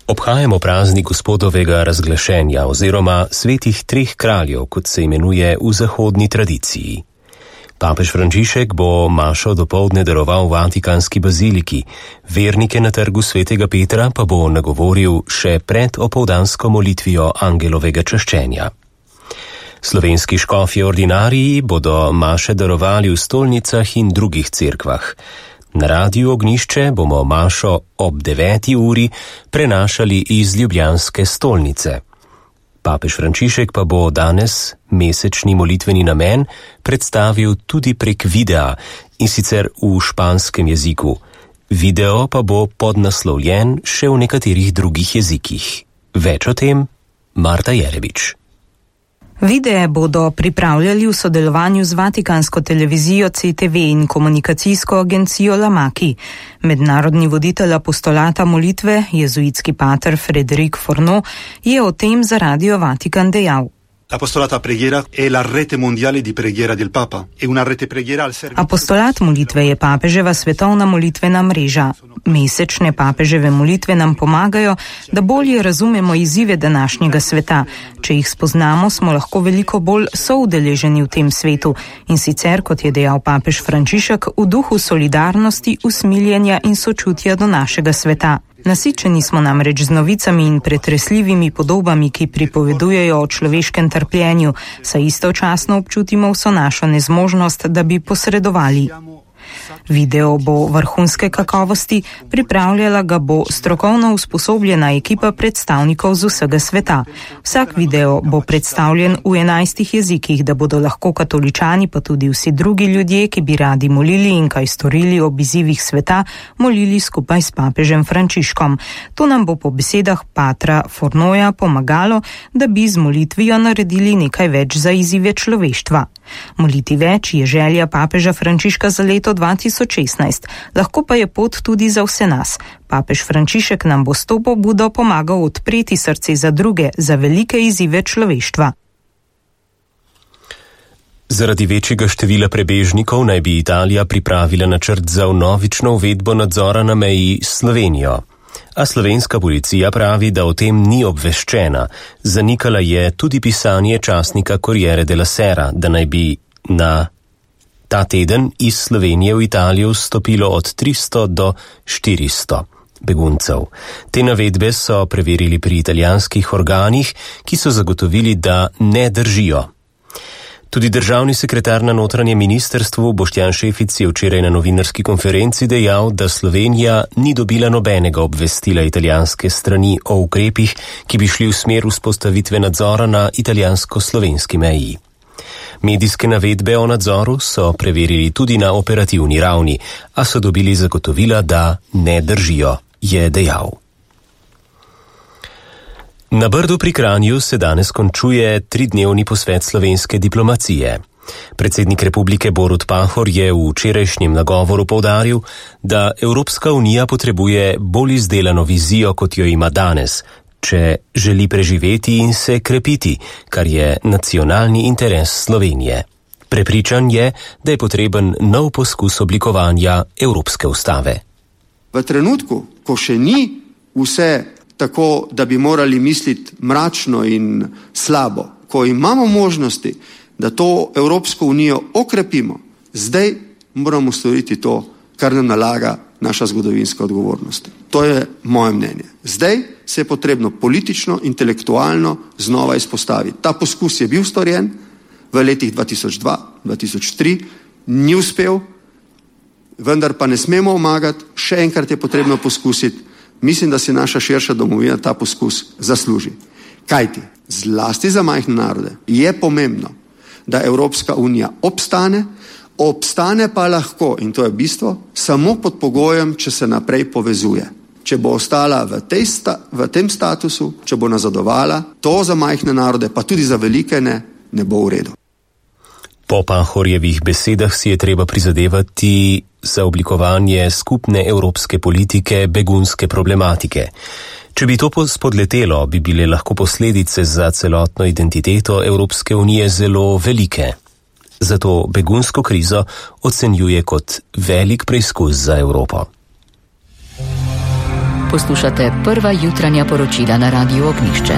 Obhajamo praznik Gospodovega razglašenja oziroma svetih treh kraljev, kot se imenuje v zahodni tradiciji. Papež Frančišek bo mašo dopoldne daroval v Vatikanski baziliki, vernike na trgu svetega Petra pa bo nagovoril še pred opoldansko molitvijo angelovega čaščenja. Slovenski škofje ordinariji bodo maše darovali v stolnicah in drugih cerkvah. Na Radiu Ognjišče bomo mašo ob 9. uri prenašali iz ljubljanske stolnice. Papež Frančišek pa bo danes mesečni molitveni namen predstavil tudi prek videa, in sicer v španskem jeziku. Video pa bo podnaslovljen še v nekaterih drugih jezikih. Več o tem Marta Jerebič. Videe bodo pripravljali v sodelovanju z Vatikansko televizijo CTV in komunikacijsko agencijo Lamaki. Mednarodni voditelj apostolata molitve, jezuitski pater Frédéric Fourneau, je o tem za Radio Vatikan dejal. L'apostolata preghiera è la rete mondiale di preghiera del Papa. È una rete preghiera al servizio. Apostolat molitve je papeževa svetovna molitvena mreža. Mesečne papeževe molitve nam pomagajo, da bolje razumemo izzive današnjega sveta. Če jih spoznamo, smo lahko veliko bolj soudeleženi v tem svetu. In sicer, kot je dejal papež Frančišek, v duhu solidarnosti, usmiljenja in sočutja do našega sveta. Nasičeni smo namreč z novicami in pretresljivimi podobami, ki pripovedujejo o človeškem trpljenju, saj istočasno občutimo vso našo nezmožnost, da bi posredovali. Video bo vrhunske kakovosti, pripravljala ga bo strokovno usposobljena ekipa predstavnikov z vsega sveta. Vsak video bo predstavljen v 11 jezikih, da bodo lahko katoličani, pa tudi vsi drugi ljudje, ki bi radi molili in kaj storili ob izzivih sveta, molili skupaj s papežem Frančiškom. To nam bo po besedah patra Fourneauja pomagalo, da bi z molitvijo naredili nekaj več za izzive človeštva. Moliti več je želja papeža Frančiška za leto 2016, lahko pa je pot tudi za vse nas. Papež Frančišek nam bo s to pobudo pomagal odpreti srce za druge, za velike izzive človeštva. Zaradi večjega števila prebežnikov naj bi Italija pripravila načrt za vnovično uvedbo nadzora na meji s Slovenijo. A slovenska policija pravi, da o tem ni obveščena. Zanikala je tudi pisanje časnika Corriere della Sera, da naj bi na ta teden iz Slovenije v Italijo vstopilo od 300 do 400 beguncev. Te navedbe so preverili pri italijanskih organih, ki so zagotovili, da ne držijo. Tudi državni sekretar na notranjem ministrstvu Boštjan Šefic je včeraj na novinarski konferenci dejal, da Slovenija ni dobila nobenega obvestila italijanske strani o ukrepih, ki bi šli v smer vzpostavitve nadzora na italijansko-slovenski meji. Medijske navedbe o nadzoru so preverili tudi na operativni ravni, a so dobili zagotovila, da ne držijo, je dejal. Na Brdu pri Kranju se danes končuje 3-dnevni posvet slovenske diplomacije. Predsednik republike Borut Pahor je v včerajšnjem nagovoru poudaril, da Evropska unija potrebuje bolj izdelano vizijo, kot jo ima danes, če želi preživeti in se krepiti, kar je nacionalni interes Slovenije. Prepričan je, da je potreben nov poskus oblikovanja Evropske ustave. V trenutku, ko še ni vse tako, da bi morali misliti mračno in slabo, ko imamo možnosti, da to Evropsko unijo okrepimo, zdaj moramo storiti to, kar nam nalaga naša zgodovinska odgovornost. To je moje mnenje. Zdaj se je potrebno politično, intelektualno znova izpostaviti. Ta poskus je bil storjen v letih 2002, 2003, ni uspel, vendar pa ne smemo omagati, še enkrat je potrebno poskusiti. Mislim, da si naša širša domovina ta poskus zasluži. Kajti, zlasti za majhne narode je pomembno, da Evropska unija obstane pa lahko, in to je bistvo, samo pod pogojem, če se naprej povezuje. Če bo ostala v tem statusu, če bo nazadovala, to za majhne narode, pa tudi za velike ne bo v redu. Po Pahorjevih besedah si je treba prizadevati za oblikovanje skupne evropske politike begunske problematike. Če bi to spodletelo, bi bile lahko posledice za celotno identiteto Evropske unije zelo velike. Zato begunsko krizo ocenjuje kot velik preizkus za Evropo. Poslušate prva jutranja poročila na Radiu Ognjišče.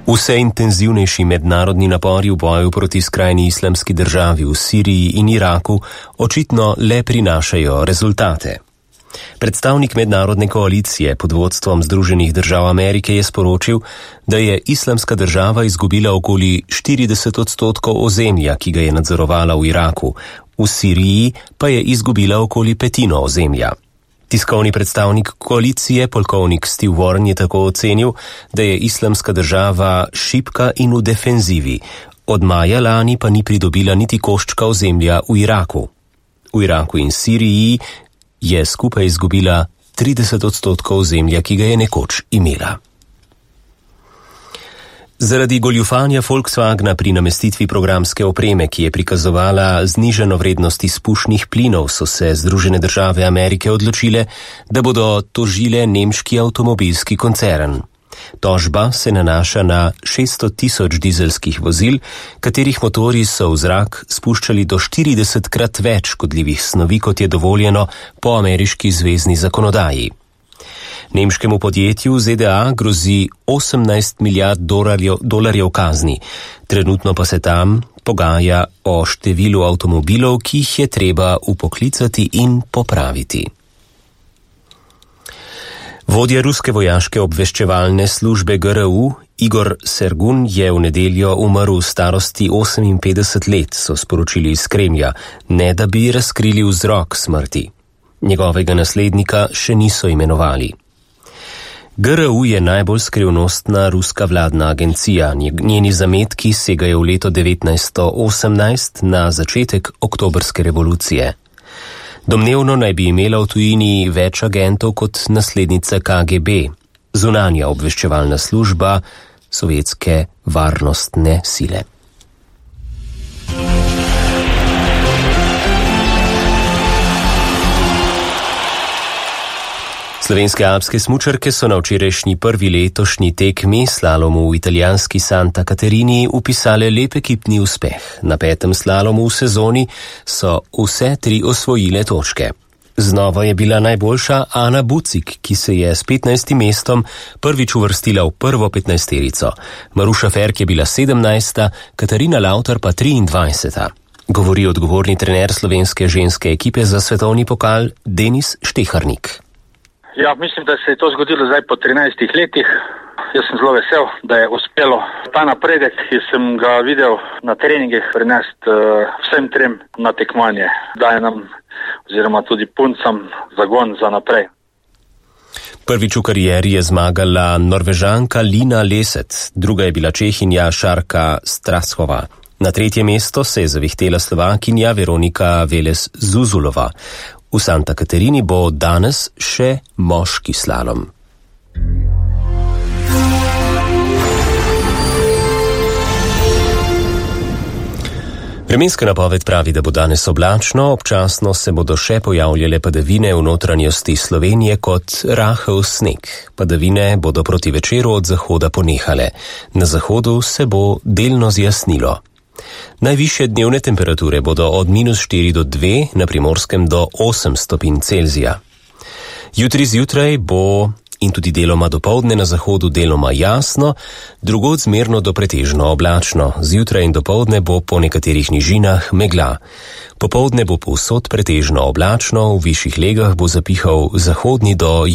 Vse intenzivnejši mednarodni napori v boju proti skrajni islamski državi v Siriji in Iraku očitno le prinašajo rezultate. Predstavnik mednarodne koalicije pod vodstvom Združenih držav Amerike je sporočil, da je islamska država izgubila okoli 40% ozemlja, ki ga je nadzorovala v Iraku, v Siriji pa je izgubila okoli petino ozemlja. Tiskovni predstavnik koalicije, polkovnik Steve Warren, je tako ocenil, da je islamska država šibka in v defenzivi. Od maja lani pa ni pridobila niti koščka ozemlja v Iraku. V Iraku in Siriji je skupaj izgubila 30% ozemlja, ki ga je nekoč imela. Zaradi goljufanja Volkswagna pri namestitvi programske opreme, ki je prikazovala znižano vrednost izpušnih plinov, so se Združene države Amerike odločile, da bodo tožile nemški avtomobilski koncern. Tožba se nanaša na 600.000 dizelskih vozil, katerih motorji so v zrak spuščali do 40krat več škodljivih snovi, kot je dovoljeno po ameriški zvezni zakonodaji. Nemškemu podjetju ZDA grozi 18 milijard dolarjev kazni. Trenutno pa se tam pogaja o številu avtomobilov, ki jih je treba upoklicati in popraviti. Vodja ruske vojaške obveščevalne službe GRU Igor Sergun je v nedeljo umrl v starosti 58 let, so sporočili iz Kremlja, ne da bi razkrili vzrok smrti. Njegovega naslednika še niso imenovali. GRU je najbolj skrivnostna ruska vladna agencija. Njeni zametki segajo v leto 1918 na začetek oktobrske revolucije. Domnevno naj bi imela v tujini več agentov kot naslednica KGB, zunanja obveščevalna služba sovjetske varnostne sile. Slovenske alpske smučarke so na včerajšnji prvi letošnji tekmi slalomu v italijanski Santa Caterini upisale lep ekipni uspeh. Na 5. slalomu v sezoni so vse 3 osvojile točke. Znova je bila najboljša Ana Bucik, ki se je s 15. mestom prvič uvrstila v prvo 15-terico. Maruša Ferk je bila 17., Katarina Lautar pa 23. Govori odgovorni trener slovenske ženske ekipe za svetovni pokal Denis Šteharnik. Ja, mislim, da se je to zgodilo zdaj po 13 letih. Jaz sem zelo vesel, da je uspelo ta napredek, ki sem ga videl na treningih, prenesti vsem 3 na tekmovanje. Daje nam oziroma tudi puncam zagon za naprej. Prvič v karieri je zmagala Norvežanka Lina Leset, druga je bila Čehinja Šarka Strashova. Na 3. mesto se je zavihtela Slovakinja Veronika Velez Zuzulova. V Santa Caterini bo danes še moški slalom. Vremenska napoved pravi, da bo danes oblačno, občasno se bodo še pojavljale padavine v notranjosti Slovenije kot rahel sneg. Padavine bodo proti večeru od zahoda ponehale. Na zahodu se bo delno zjasnilo. Najvišje dnevne temperature bodo od -4 do 2, na Primorskem do 8 stopinj Celzija. Jutri zjutraj bo in tudi deloma dopoldne na zahodu deloma jasno, drugod zmerno do pretežno oblačno. Zjutraj in dopoldne bo po nekaterih nižinah megla. Popoldne bo povsod pretežno oblačno, v višjih legah bo zapihal zahodni do